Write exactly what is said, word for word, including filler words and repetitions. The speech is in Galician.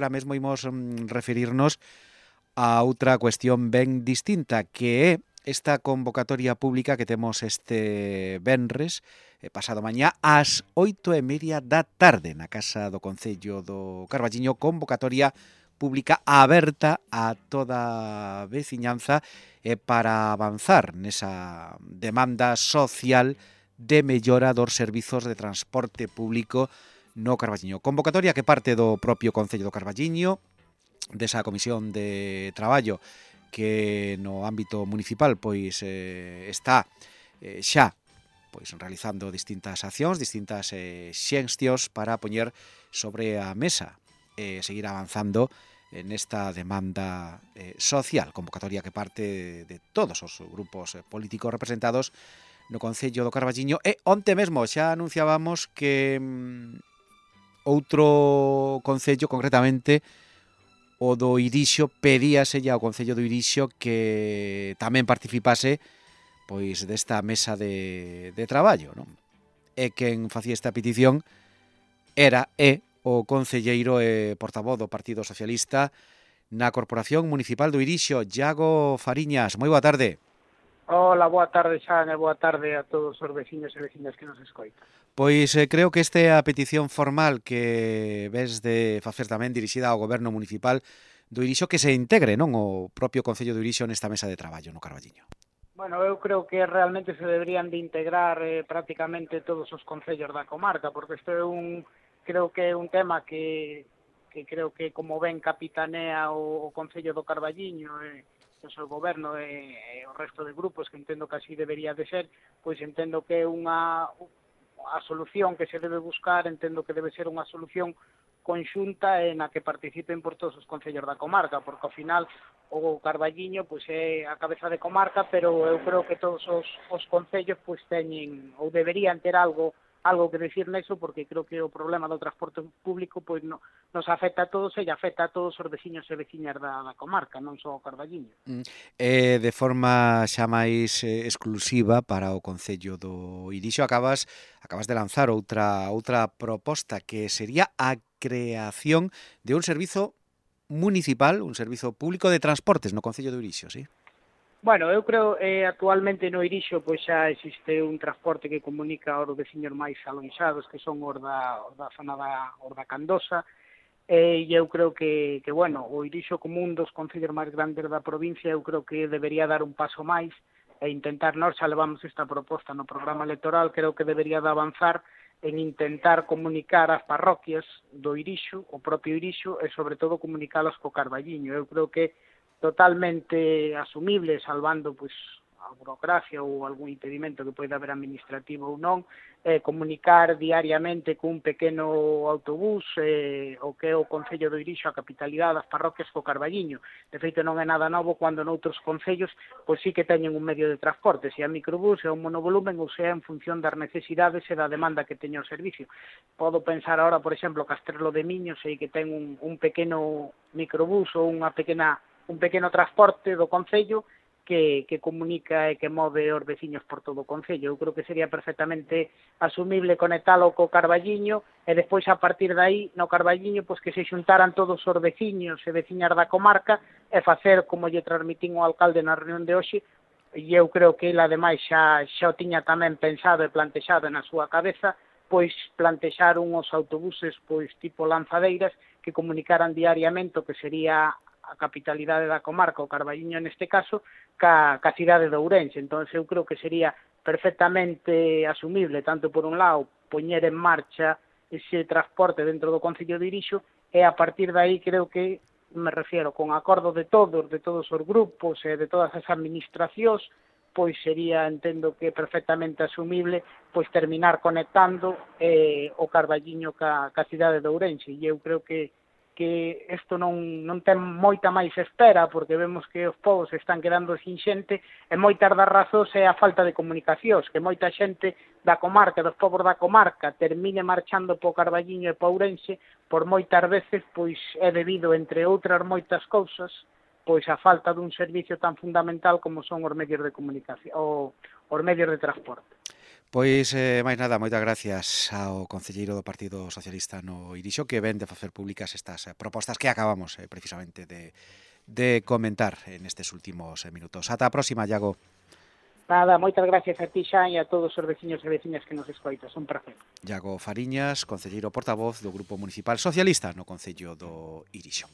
agora mesmo imos mm, referirnos a outra cuestión ben distinta, que é esta convocatoria pública que temos este venres, eh, pasado mañá, ás oito e media da tarde, na Casa do Concello do Carballiño, convocatoria pública aberta a toda a veciñanza eh, para avanzar nesa demanda social de mellora dos servizos de transporte público no Carballiño. Convocatoria que parte do propio Concello do Carballiño, desa comisión de traballo que no ámbito municipal pois eh, está eh, xa pois realizando distintas accións, distintas eh, xestións para poñer sobre a mesa e eh, seguir avanzando nesta demanda eh, social, convocatoria que parte de todos os grupos políticos representados no Concello do Carballiño. E onte mesmo xa anunciábamos que mm, outro concello, concretamente o do Irixo, pedíase ao Concello do Irixo que tamén participase pois desta mesa de, de traballo, non? E quen facía esta petición era e o concelleiro e portavoz do Partido Socialista na Corporación Municipal do Irixo, Iago Fariñas. Moi boa tarde. Hola, boa tarde, Xan, e boa tarde a todos os veciños e veciñas que nos escoitan. Pois eh, creo que esta é a petición formal que ves de facer tamén dirixida ao Goberno Municipal do Irixo, que se integre, non, o propio Concello do Irixo nesta mesa de traballo no Carballiño. Bueno, eu creo que realmente se deberían de integrar eh, prácticamente todos os concellos da comarca, porque isto é un, creo que é un tema que, que creo que como ben capitanea o, o Concello do Carballiño e eh, o Goberno e, e o resto de grupos, que entendo que así debería de ser, pois entendo que é unha a solución que se debe buscar, entendo que debe ser unha solución conxunta e na que participen por todos os concellos da comarca, porque ao final o Carballiño pois é a cabeza de comarca, pero eu creo que todos os, os concellos pois teñen ou deberían ter algo algo que decir neso, porque creo que o problema do transporte público pois no, nos afecta a todos e afecta a todos os veciños e veciñas da, da comarca, non só o Carballiño. Mm. Eh, de forma xa máis eh, exclusiva para o Concello do Irixo, acabas acabas de lanzar outra outra proposta que sería a creación de un servizo municipal, un servizo público de transportes no Concello do Irixo, sí? Bueno, eu creo eh, actualmente no Irixo pois xa existe un transporte que comunica aos veciños máis alonxados, que son os da, os da zona da, os da Candosa, e eu creo que, que, bueno, o Irixo como un dos concellos máis grandes da provincia, eu creo que debería dar un paso máis e intentar, nós xa levamos esta proposta no programa electoral, creo que debería de avanzar en intentar comunicar as parroquias do Irixo, o propio Irixo, e sobre todo comunicalas co Carballiño. Eu creo que totalmente asumible, salvando pois a burocracia ou algún impedimento que poida haber administrativo ou non, eh, comunicar diariamente cun pequeno autobús eh, o que é o Concello do Irixo, a capitalidade das parroquias co Carballiño. De feito, non é nada novo cando noutros concellos pois sí que teñen un medio de transporte, se é microbús, se é un monovolumen ou se é en función das necesidades e da demanda que teña o servicio. Podo pensar agora, por exemplo, Castrelo de Miño, sei que ten un, un pequeno microbús ou unha pequena un pequeno transporte do Concello que, que comunica e que move os veciños por todo o Concello. Eu creo que sería perfectamente asumible conectalo co Carballiño e despois a partir de aí no Carballiño pois que se xuntaran todos os veciños e veciñas da comarca e facer como lle transmitín o alcalde na reunión de hoxe, e eu creo que ele ademais xa, xa o tiña tamén pensado e plantexado na súa cabeza, pois plantexar uns autobuses pois tipo lanzadeiras que comunicaran diariamente o que sería a capitalidade da comarca, o Carballiño neste caso, ca, ca cidade de Ourense. Entón, eu creo que sería perfectamente asumible, tanto por un lado, poñer en marcha ese transporte dentro do Concello de Irixo, e a partir de aí creo que, me refiero, con acordo de todos, de todos os grupos e de todas as administracións, pois sería, entendo que perfectamente asumible, pois terminar conectando eh, o Carballiño ca, ca cidade de Ourense. E eu creo que que isto non, non ten moita máis espera, porque vemos que os povos están quedando sin xente, e moitas das razóns é a falta de comunicacións, que moita xente da comarca, dos povos da comarca, termine marchando po Carballiño e po Ourense, por moitas veces, pois é debido, entre outras moitas cousas, pois a falta dun servicio tan fundamental como son os medios de comunicación, ou os medios de transporte. Pois, eh, máis nada, moitas gracias ao concelleiro do Partido Socialista no Irixo, que ven de facer públicas estas eh, propostas que acabamos eh, precisamente de, de comentar en estes últimos eh, minutos. Ata a próxima, Iago. Nada, moitas gracias a ti, xa, e a todos os veciños e veciñas que nos escoitas. Un placer. Iago Fariñas, concelleiro portavoz do Grupo Municipal Socialista no Concello do Irixo.